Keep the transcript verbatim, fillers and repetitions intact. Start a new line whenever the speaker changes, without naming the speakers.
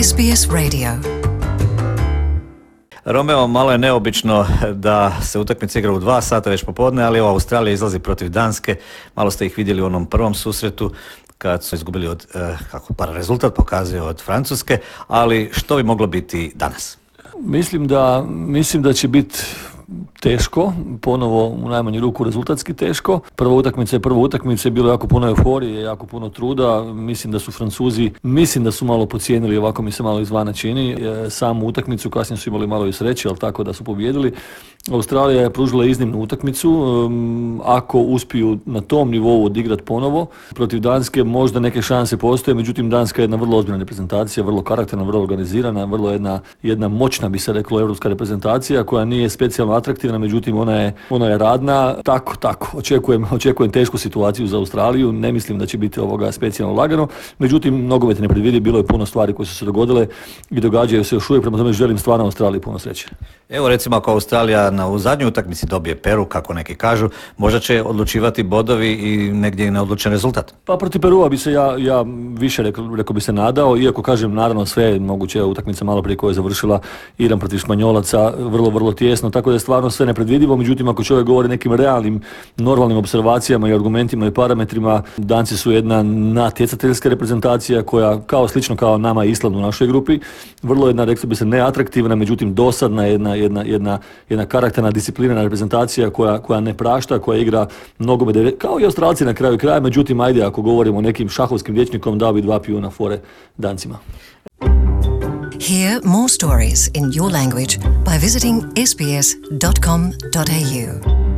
S B S Radio.
Romeo, malo je neobično da se utakmica igra u dva sata već popodne, ali evo Australija izlazi protiv Danske. Malo ste ih vidjeli u onom prvom susretu kad su izgubili od, eh, kako par rezultat pokazuje, od Francuske, ali što bi moglo biti danas?
Mislim da, mislim da će biti teško, ponovo u najmanju ruku rezultatski teško. Prva utakmica je prva utakmica, je bilo jako puno euforije, jako puno truda. Mislim da su Francuzi, mislim da su malo podcijenili, ovako mi se malo izvana čini, e, samu utakmicu, kasnije su imali malo i sreće, ali tako da su pobijedili. Australija je pružila iznimnu utakmicu, um, ako uspiju na tom nivou odigrati ponovo. Protiv Danske možda neke šanse postoje, međutim Danska je jedna vrlo ozbiljna reprezentacija, vrlo karakterna, vrlo organizirana, vrlo jedna, jedna moćna, bi se reklo, europska reprezentacija koja nije specijalno atraktivna, međutim ona je, ona je radna. Tako, tako, očekujem, očekujem tešku situaciju za Australiju, ne mislim da će biti ovoga specijalno lagano, međutim nogomet ne predvidi, bilo je puno stvari koje su se dogodile i događaju se još uvijek, prema tome želim stvarno Australiji puno sreće.
Evo recimo ako Australija na u zadnjoj utakmici dobije Peru, kako neki kažu, možda će odlučivati bodovi i negdje i neodlučen rezultat.
Pa protiv Perua bi se ja, ja više rekao, rekao bi se nadao, iako kažem naravno sve moguće, utakmica malo prije koja je završila Iran protiv Španjolaca, vrlo, vrlo tijesno, tako da je stvarno sve nepredvidivo, međutim ako čovjek govori nekim realnim, normalnim observacijama i argumentima i parametrima, Danci su jedna natjecateljska reprezentacija koja, kao slično kao nama Island u našoj grupi, vrlo jedna, rekao bi se, neatraktivna, međutim dosadna, jedna, jedna, jedna, jedna karakterna, disciplinarna reprezentacija koja, koja ne prašta, koja igra nogomet, kao i Australci na kraju kraja, međutim ajde ako govorimo o nekim šahovskim rječnikom, dao bi dva pijuna fore Dancima.
Hear more stories in your language by visiting s b s dot com dot a u.